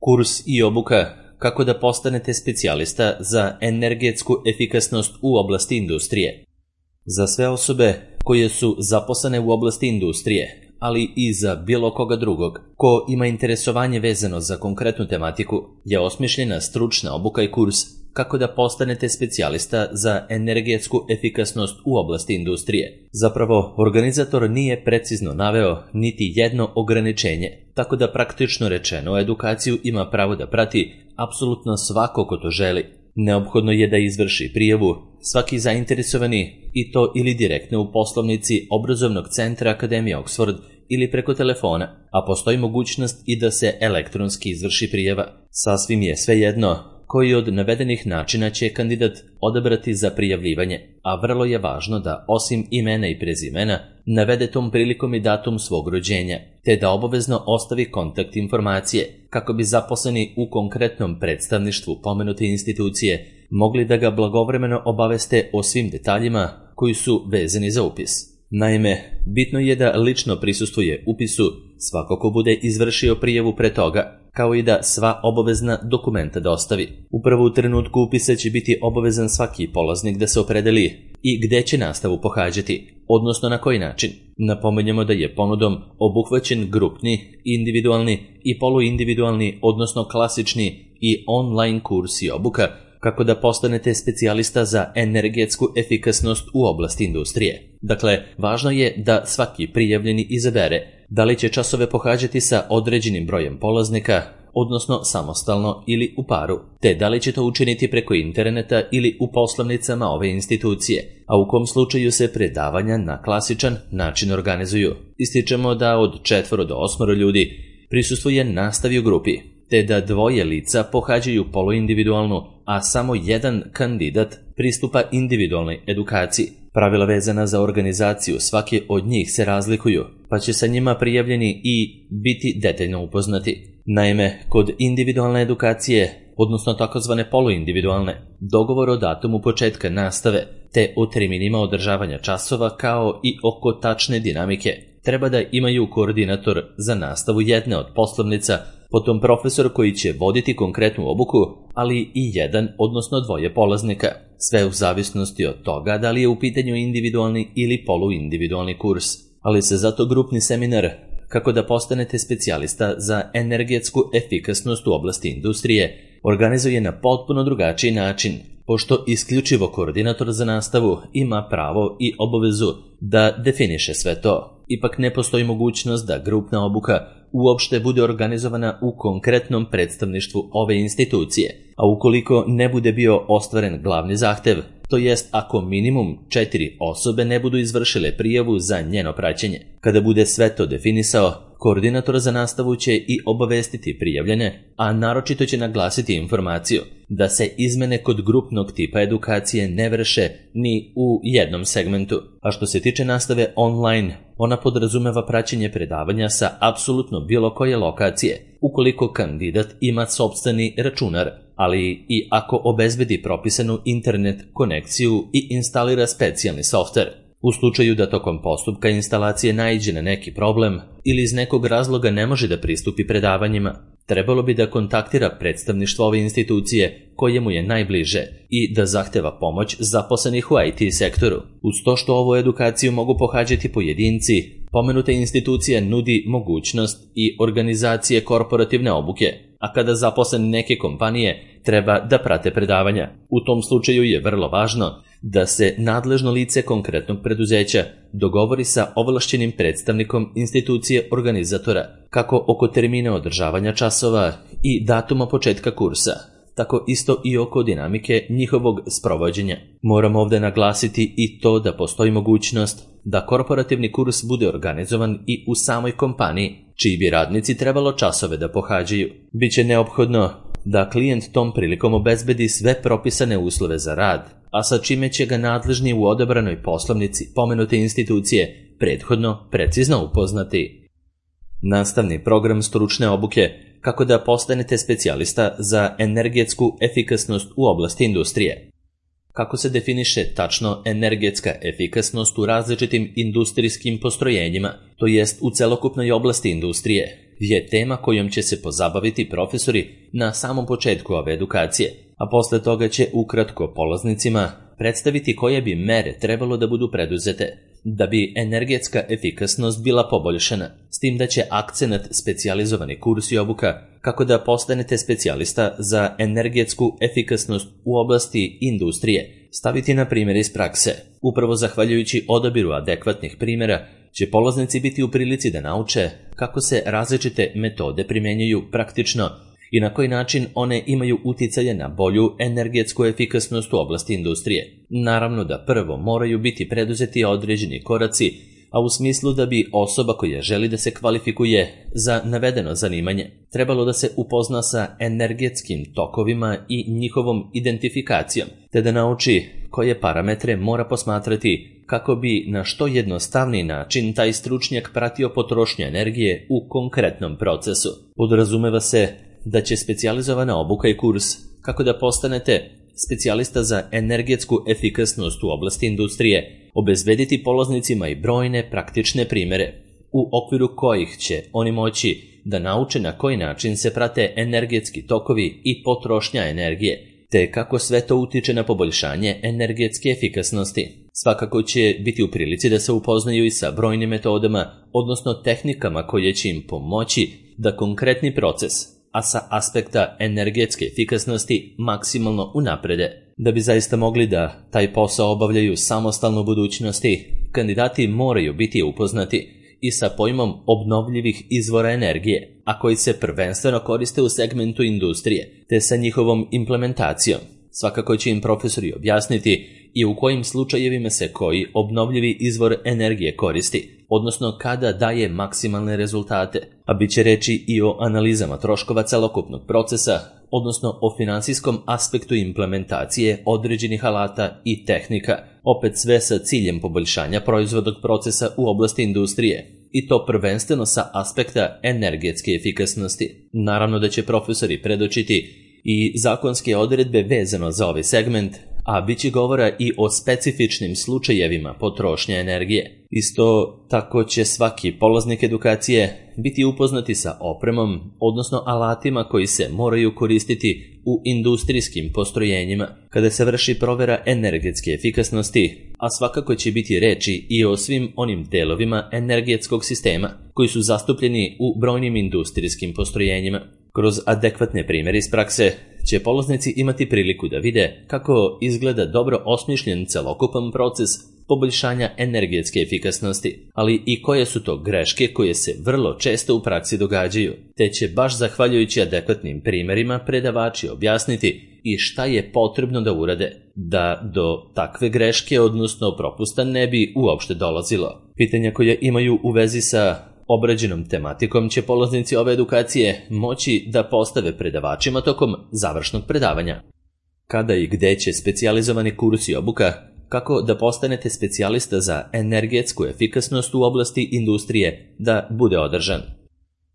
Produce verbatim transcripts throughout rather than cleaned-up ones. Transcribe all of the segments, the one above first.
Kurs i obuka kako da postanete specijalista za energetsku efikasnost u oblasti industrije. Za sve osobe koje su zaposlene u oblasti industrije, ali i za bilo koga drugog ko ima interesovanje vezano za konkretnu tematiku, je osmišljena stručna obuka i kurs kako da postanete specijalista za energetsku efikasnost u oblasti industrije. Zapravo, organizator nije precizno naveo niti jedno ograničenje, tako da praktično rečeno edukaciju ima pravo da prati apsolutno svako ko to želi. Neophodno je da izvrši prijavu svaki zainteresovani, i to ili direktno u poslovnici obrazovnog centra Akademije Oxford ili preko telefona, a postoji mogućnost i da se elektronski izvrši prijava. Sasvim je svejedno koji od navedenih načina će kandidat odabrati za prijavljivanje, a vrlo je važno da osim imena i prezimena navede tom prilikom i datum svog rođenja, te da obavezno ostavi kontakt informacije kako bi zaposleni u konkretnom predstavništvu pomenute institucije mogli da ga blagovremeno obaveste o svim detaljima koji su vezani za upis. Naime, bitno je da lično prisustvuje upisu svako ko bude izvršio prijavu pre toga, kao i da sva obavezna dokumenta dostavi. Upravo u trenutku upisa će biti obavezan svaki polaznik da se opredeli i gde će nastavu pohađati, odnosno na koji način. Napominjemo da je ponudom obuhvaćen grupni, individualni i poluindividualni, odnosno klasični i online kurs i obuka kako da postanete specijalista za energetsku efikasnost u oblasti industrije. Dakle, važno je da svaki prijavljeni izabere da li će časove pohađati sa određenim brojem polaznika, odnosno samostalno ili u paru, te da li će to učiniti preko interneta ili u poslovnicama ove institucije, a u kom slučaju se predavanja na klasičan način organizuju. Ističemo da od četvoro do osmoro ljudi prisustvuje nastavi u grupi, te da dvoje lica pohađaju poluindividualnu, a samo jedan kandidat pristupa individualnoj edukaciji. Pravila vezana za organizaciju svake od njih se razlikuju, pa će sa njima prijavljeni i biti detaljno upoznati. Naime, kod individualne edukacije, odnosno takozvane poluindividualne, dogovor o datumu početka nastave, te o terminima održavanja časova kao i oko tačne dinamike, treba da imaju koordinator za nastavu jedne od poslovnica, potom profesor koji će voditi konkretnu obuku, ali i jedan, odnosno dvoje polaznika, sve u zavisnosti od toga da li je u pitanju individualni ili poluindividualni kurs. Ali se zato grupni seminar kako da postanete specijalista za energetsku efikasnost u oblasti industrije organizuje na potpuno drugačiji način, pošto isključivo koordinator za nastavu ima pravo i obavezu da definiše sve to. Ipak ne postoji mogućnost da grupna obuka uopšte bude organizovana u konkretnom predstavništvu ove institucije, a ukoliko ne bude bio ostvaren glavni zahtev, to jest ako minimum četiri osobe ne budu izvršile prijavu za njeno praćenje. Kada bude sve to definisao, koordinator za nastavu će i obavestiti prijavljene, a naročito će naglasiti informaciju da se izmene kod grupnog tipa edukacije ne vrše ni u jednom segmentu. A što se tiče nastave online, ona podrazumeva praćenje predavanja sa apsolutno bilo koje lokacije, ukoliko kandidat ima sopstveni računar, ali i ako obezbedi propisanu internet konekciju i instalira specijalni softver. U slučaju da tokom postupka instalacije naiđe na neki problem ili iz nekog razloga ne može da pristupi predavanjima, trebalo bi da kontaktira predstavništvo ove institucije koje mu je najbliže i da zahteva pomoć zaposlenih u I T sektoru. Uz to što ovu edukaciju mogu pohađati pojedinci, pomenuta institucija nudi mogućnost i organizacije korporativne obuke, a kada zaposleni neke kompanije treba da prate predavanja. U tom slučaju je vrlo važno da se nadležno lice konkretnog preduzeća dogovori sa ovlašćenim predstavnikom institucije organizatora, kako oko termina održavanja časova i datuma početka kursa, tako isto i oko dinamike njihovog sprovođenja. Moram ovdje naglasiti i to da postoji mogućnost da korporativni kurs bude organizovan i u samoj kompaniji, čiji bi radnici trebalo časove da pohađaju. Biće neophodno da klijent tom prilikom obezbedi sve propisane uslove za rad, a sa čime će ga nadležni u odabranoj poslovnici pomenute institucije prethodno precizno upoznati. Nastavni program stručne obuke kako da postanete specijalista za energetsku efikasnost u oblasti industrije. Kako se definiše tačno energetska efikasnost u različitim industrijskim postrojenjima, to jest u celokupnoj oblasti industrije, je tema kojom će se pozabaviti profesori na samom početku ove edukacije, a posle toga će ukratko polaznicima predstaviti koje bi mere trebalo da budu preduzete da bi energetska efikasnost bila poboljšana, s tim da će akcenat specijalizovani kurs i obuka kako da postanete specijalista za energetsku efikasnost u oblasti industrije staviti na primjer iz prakse. Upravo zahvaljujući odabiru adekvatnih primjera će polaznici biti u prilici da nauče kako se različite metode primenjuju praktično i na koji način one imaju uticaje na bolju energetsku efikasnost u oblasti industrije. Naravno da prvo moraju biti preduzeti određeni koraci, a u smislu da bi osoba koja želi da se kvalifikuje za navedeno zanimanje trebalo da se upozna sa energetskim tokovima i njihovom identifikacijom, te da nauči koje parametre mora posmatrati kako bi na što jednostavniji način taj stručnjak pratio potrošnju energije u konkretnom procesu. Podrazumeva se da će specijalizovana obuka i kurs kako da postanete specijalista za energetsku efikasnost u oblasti industrije obezbediti polaznicima i brojne praktične primere u okviru kojih će oni moći da nauče na koji način se prate energetski tokovi i potrošnja energije, te kako sve to utiče na poboljšanje energetske efikasnosti. Svakako će biti u prilici da se upoznaju i sa brojnim metodama, odnosno tehnikama koje će im pomoći da konkretni proces, a sa aspekta energetske efikasnosti maksimalno unaprede. Da bi zaista mogli da taj posao obavljaju samostalno u budućnosti, kandidati moraju biti upoznati i sa pojmom obnovljivih izvora energije, a koji se prvenstveno koriste u segmentu industrije, te sa njihovom implementacijom. Svakako će im profesori objasniti i u kojim slučajevima se koji obnovljivi izvor energije koristi, odnosno kada daje maksimalne rezultate, a bit će reći i o analizama troškova celokupnog procesa, odnosno o finansijskom aspektu implementacije određenih alata i tehnika, opet sve sa ciljem poboljšanja proizvodnog procesa u oblasti industrije, i to prvenstveno sa aspekta energetske efikasnosti. Naravno da će profesori predočiti i zakonske odredbe vezano za ovaj segment, a bit će govora i o specifičnim slučajevima potrošnje energije. Isto tako će svaki polaznik edukacije biti upoznati sa opremom, odnosno alatima koji se moraju koristiti u industrijskim postrojenjima kada se vrši provera energetske efikasnosti, a svakako će biti reči i o svim onim delovima energetskog sistema koji su zastupljeni u brojnim industrijskim postrojenjima. Kroz adekvatne primjere iz prakse će polaznici imati priliku da vide kako izgleda dobro osmišljen celokupan proces poboljšanja energetske efikasnosti, ali i koje su to greške koje se vrlo često u praksi događaju, te će baš zahvaljujući adekvatnim primjerima predavači objasniti i šta je potrebno da urade, da do takve greške, odnosno propusta, ne bi uopšte dolazilo. Pitanja koja imaju u vezi sa obrađenom tematikom će polaznici ove edukacije moći da postave predavačima tokom završnog predavanja. Kada i gde će specijalizovani kurs i obuka kako da postanete specijalista za energetsku efikasnost u oblasti industrije da bude održan?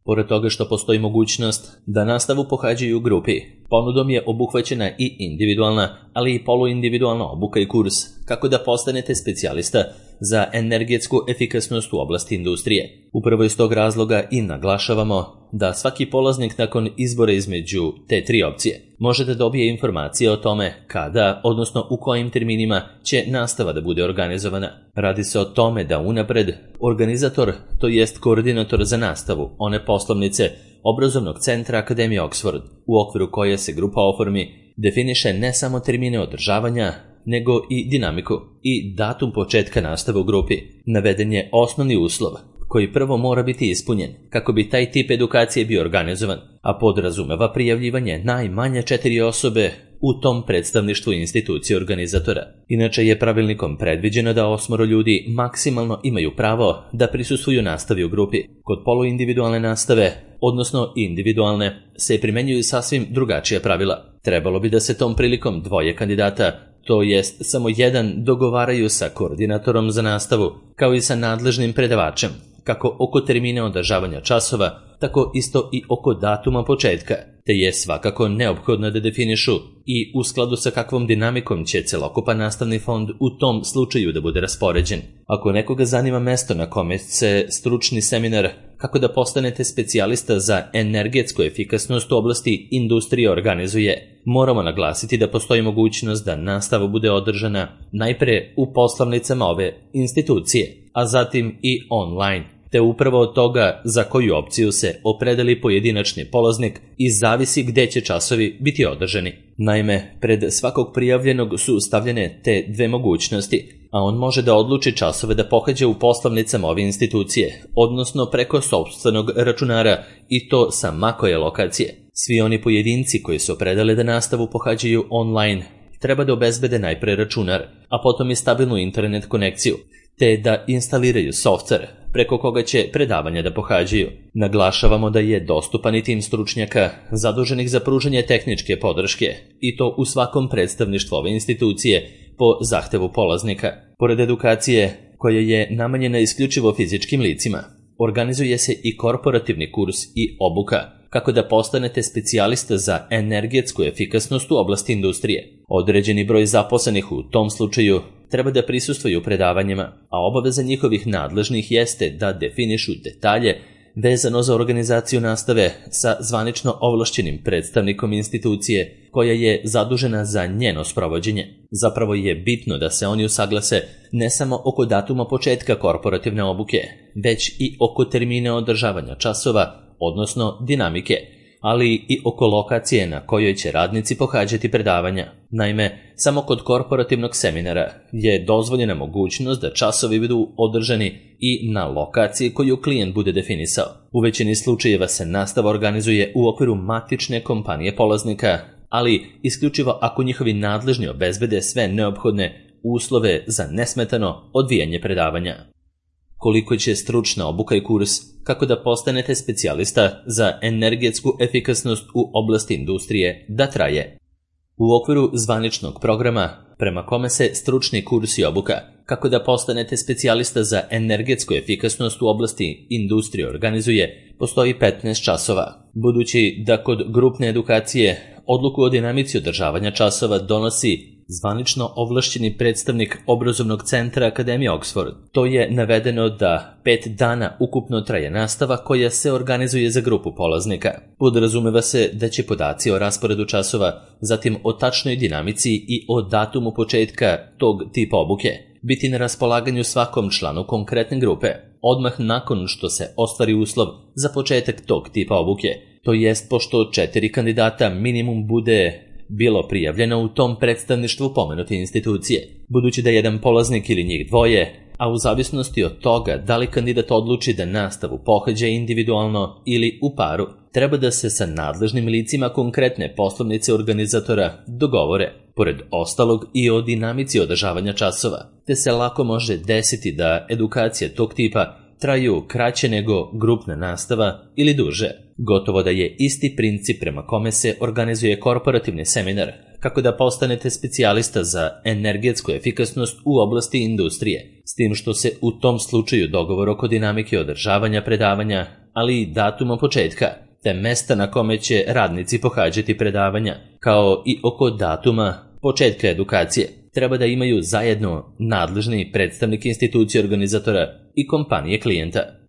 Pored toga što postoji mogućnost da nastavu pohađaju u grupi, ponudom je obuhvaćena i individualna, ali i poluindividualna obuka i kurs kako da postanete specijalista za energetsku efikasnost u oblasti industrije. Upravo iz tog razloga i naglašavamo da svaki polaznik nakon izbora između te tri opcije može da dobije informacije o tome kada, odnosno u kojim terminima će nastava da bude organizovana. Radi se o tome da unapred organizator, to jest koordinator za nastavu one poslovnice obrazovnog centra Akademije Oxford, u okviru koje se grupa oformi, definiše ne samo termine održavanja, nego i dinamiku i datum početka nastave u grupi. Naveden je osnovni uslov koji prvo mora biti ispunjen kako bi taj tip edukacije bio organizovan, a podrazumeva prijavljivanje najmanje četiri osobe u tom predstavništvu institucije organizatora. Inače je pravilnikom predviđeno da osmoro ljudi maksimalno imaju pravo da prisustvuju nastavi u grupi. Kod poluindividualne nastave, odnosno individualne, se primenjuju sasvim drugačija pravila. Trebalo bi da se tom prilikom dvoje kandidata, to jest samo jedan, dogovaraju sa koordinatorom za nastavu, kao i sa nadležnim predavačem, kako oko termina održavanja časova, tako isto i oko datuma početka, te je svakako neophodno da definišu i u skladu sa kakvom dinamikom će celokupan nastavni fond u tom slučaju da bude raspoređen. Ako nekoga zanima mesto na kome se stručni seminar kako da postanete specijalista za energetsku efikasnost u oblasti industrije organizuje. Moramo naglasiti da postoji mogućnost da nastava bude održana najpre u poslovnicama ove institucije, a zatim i online, te upravo od toga za koju opciju se opredeli pojedinačni polaznik i zavisi gde će časovi biti održani. Naime, pred svakog prijavljenog su stavljene te dve mogućnosti, a on može da odluči časove da pohađa u poslovnicama ove institucije, odnosno preko sopstvenog računara, i to sa ma koje lokacije. Svi oni pojedinci koji se opredele da nastavu pohađaju online treba da obezbede najpre računar, a potom i stabilnu internet konekciju, te da instaliraju softver preko koga će predavanja da pohađaju. Naglašavamo da je dostupan i tim stručnjaka zaduženih za pružanje tehničke podrške, i to u svakom predstavništvu ove institucije po zahtevu polaznika. Pored edukacije koja je namenjena isključivo fizičkim licima, organizuje se i korporativni kurs i obuka kako da postanete specijalista za energetsku efikasnost u oblasti industrije. Određeni broj zaposlenih u tom slučaju treba da prisustvuju predavanjima, a obaveza njihovih nadležnih jeste da definišu detalje vezano za organizaciju nastave sa zvanično ovlašćenim predstavnikom institucije koja je zadužena za njeno sprovođenje. Zapravo je bitno da se oni usaglase ne samo oko datuma početka korporativne obuke, već i oko termina održavanja časova, odnosno dinamike, ali i oko lokacije na kojoj će radnici pohađati predavanja. Naime, samo kod korporativnog seminara je dozvoljena mogućnost da časovi budu održani i na lokaciji koju klijent bude definisao. U većini slučajeva se nastava organizuje u okviru matične kompanije polaznika, ali isključivo ako njihovi nadležni obezbede sve neophodne uslove za nesmetano odvijanje predavanja. Koliko će stručna obuka i kurs kako da postanete specijalista za energetsku efikasnost u oblasti industrije da traje? U okviru zvaničnog programa prema kome se stručni kurs i obuka kako da postanete specijalista za energetsku efikasnost u oblasti industrije organizuje, postoji petnaest časova. Budući da kod grupne edukacije odluku o dinamici održavanja časova donosi zvanično ovlašćeni predstavnik obrazovnog centra Akademije Oxford, to je navedeno da pet dana ukupno traje nastava koja se organizuje za grupu polaznika. Podrazumeva se da će podaci o rasporedu časova, zatim o tačnoj dinamici i o datumu početka tog tipa obuke biti na raspolaganju svakom članu konkretne grupe odmah nakon što se ostvari uslov za početak tog tipa obuke, to jest pošto četiri kandidata minimum bude bilo prijavljeno u tom predstavništvu pomenute institucije. Budući da jedan polaznik ili njih dvoje, a u zavisnosti od toga da li kandidat odluči da nastavu pohađa individualno ili u paru, treba da se sa nadležnim licima konkretne poslovnice organizatora dogovore, pored ostalog i o dinamici održavanja časova, te se lako može desiti da edukacije tog tipa traju kraće nego grupna nastava ili duže. Gotovo da je isti princip prema kome se organizuje korporativni seminar kako da postanete specijalista za energetsku efikasnost u oblasti industrije, s tim što se u tom slučaju dogovor oko dinamike održavanja predavanja, ali i datuma početka, te mesta na kome će radnici pohađati predavanja, kao i oko datuma početka edukacije, treba da imaju zajedno nadležni predstavnik institucije organizatora i kompanije klijenta.